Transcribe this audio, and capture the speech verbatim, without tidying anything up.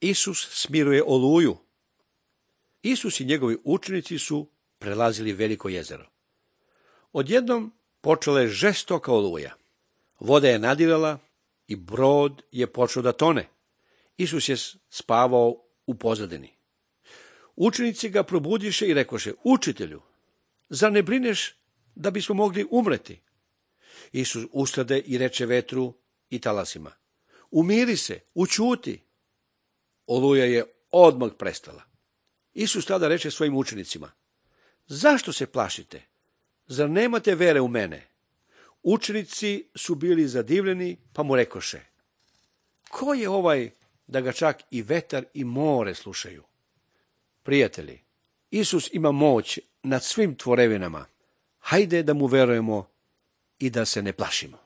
Isus smiruje oluju. Isus i njegovi učenici su prelazili veliko jezero. Odjednom počela je žestoka oluja. Voda je nadirala i brod je počeo da tone. Isus je spavao u pozadini. Učenici ga probudiše i rekoše: Učitelju, zar ne brineš da bismo mogli umreti? Isus ustade i reče vetru i talasima: Umiri se, ućuti. Oluja je odmah prestala. Isus tada reče svojim učenicima: Zašto se plašite? Zar nemate vere u mene? Učenici su bili zadivljeni, pa mu rekoše: Ko je ovaj da ga čak i vetar i more slušaju? Prijatelji, Isus ima moć nad svim tvorevinama. Hajde da mu verujemo i da se ne plašimo.